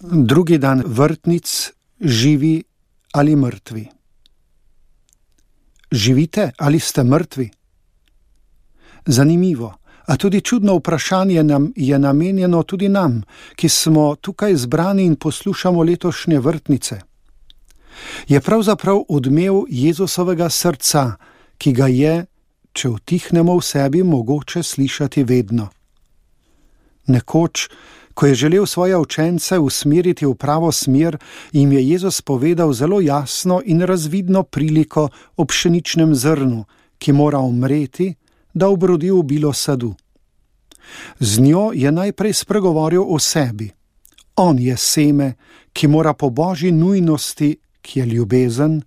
Drugi dan vrtnic, živi ali mrtvi. Živite ali ste mrtvi? Zanimivo, a tudi čudno vprašanje nam je namenjeno tudi nam, ki smo tukaj zbrani in poslušamo letošnje vrtnice. Je pravzaprav odmev Jezusovega srca, ki ga je, če utihnemo v sebi, mogoče slišati vedno. Nekoč, ko je želel svoje učence usmeriti v pravo smer, jim je Jezus povedal zelo jasno in razvidno priliko o pšeničnem zrnu, ki mora umreti, da obrodi obilo sadu. Z njo je najprej spregovoril o sebi. On je seme, ki mora po Božji nujnosti, ki je ljubezen,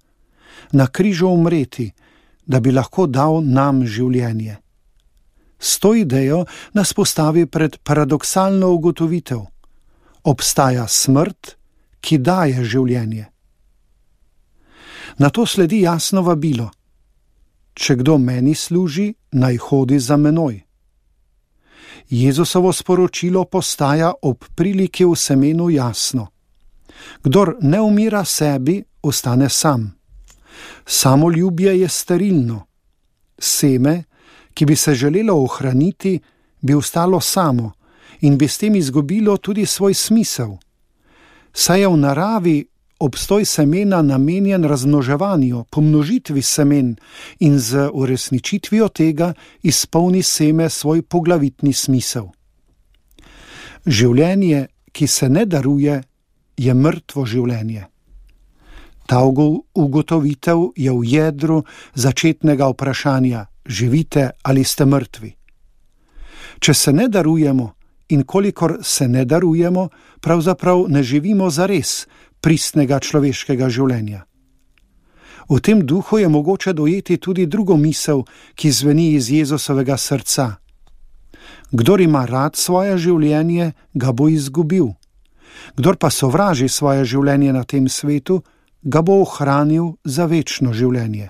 na križu umreti, da bi lahko dal nam življenje. S to idejo nas postavi pred paradoksalno ugotovitev. Obstaja smrt, ki daje življenje. Na to sledi jasno vabilo. Če kdo meni služi, naj hodi za menoj. Jezusovo sporočilo postaja ob priliki v semenu jasno. Kdor ne umira sebi, ostane sam. Samoljubje je sterilno. Seme, ki bi se želelo ohraniti, bi ostalo samo in bi s tem izgubilo tudi svoj smisel. Saj je v naravi obstoj semena namenjen razmnoževanju, pomnožitvi semen in z uresničitvijo tega izpolni seme svoj poglavitni smisel. Življenje, ki se ne daruje, je mrtvo življenje. Ta ugotovitev je v jedru začetnega vprašanja: živite ali ste mrtvi? Če se ne darujemo in kolikor se ne darujemo, pravzaprav ne živimo zares pristnega človeškega življenja. V tem duhu je mogoče dojeti tudi drugo misel, ki zveni iz Jezusovega srca. Kdor ima rad svoje življenje, ga bo izgubil. Kdor pa sovraži svoje življenje na tem svetu, ga bo ohranil za večno življenje.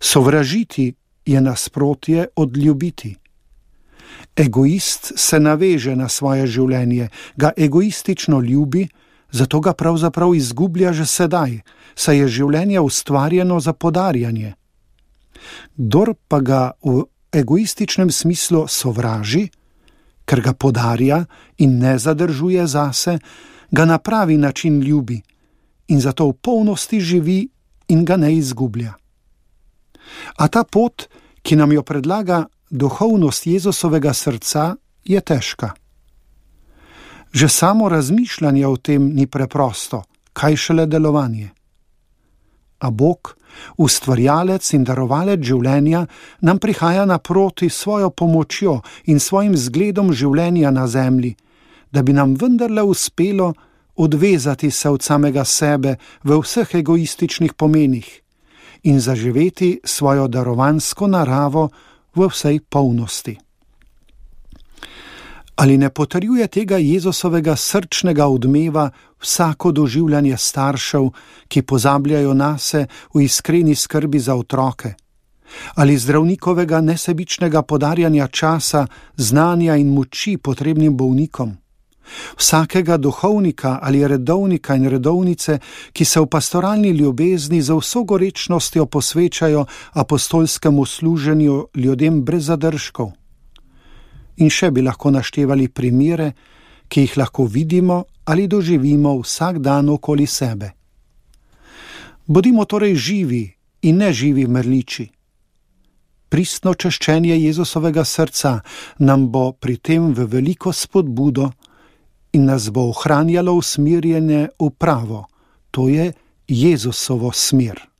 Sovražiti je nasprotje od ljubiti. Egoist se naveže na svoje življenje, ga egoistično ljubi, zato ga pravzaprav izgublja že sedaj, saj je življenje ustvarjeno za podarjanje. Kdor pa ga v egoističnem smislu sovraži, ker ga podarja in ne zadržuje zase, ga na pravi način ljubi in zato v polnosti živi in ga ne izgublja. A ta pot, ki nam jo predlaga duhovnost Jezusovega srca, je težka. Že samo razmišljanje o tem ni preprosto, kaj šele delovanje. A Bog, ustvarjalec in darovalec življenja, nam prihaja naproti svojo pomočjo in svojim zgledom življenja na zemlji, da bi nam vendarle uspelo odvezati se od samega sebe v vseh egoističnih pomenih in zaživeti svojo darovansko naravo v vsej polnosti. Ali ne potrjuje tega Jezusovega srčnega odmeva vsako doživljanje staršev, ki pozabljajo nase v iskreni skrbi za otroke? Ali zdravnikovega nesebičnega podarjanja časa, znanja in moči potrebnim bolnikom? Vsakega duhovnika ali redovnika in redovnice, ki se v pastoralni ljubezni za vso gorečnostjo posvečajo apostolskemu služenju ljudem brez zadržkov. In še bi lahko naštevali primere, ki jih lahko vidimo ali doživimo vsak dan okoli sebe. Bodimo torej živi in ne živi mrliči. Pristno češčenje Jezusovega srca nam bo pri tem v veliko spodbudo in nas bo ohranjalo usmerjene v pravo, to je Jezusovo smer.